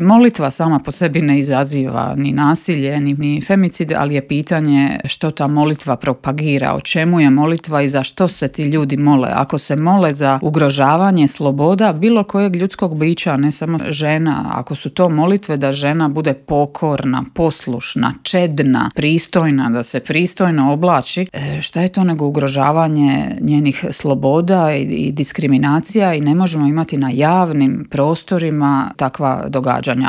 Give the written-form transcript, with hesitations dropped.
Molitva sama po sebi ne izaziva ni nasilje, ni femicid, ali je pitanje što ta molitva propagira, o čemu je molitva i za što se ti ljudi mole. Ako se mole za ugrožavanje sloboda bilo kojeg ljudskog bića, ne samo žena, ako su to molitve da žena bude pokorna, poslušna, čedna, pristojna, da se pristojno oblači, šta je to nego ugrožavanje njenih sloboda i diskriminacija, i ne možemo imati na javnim prostorima takva događanja.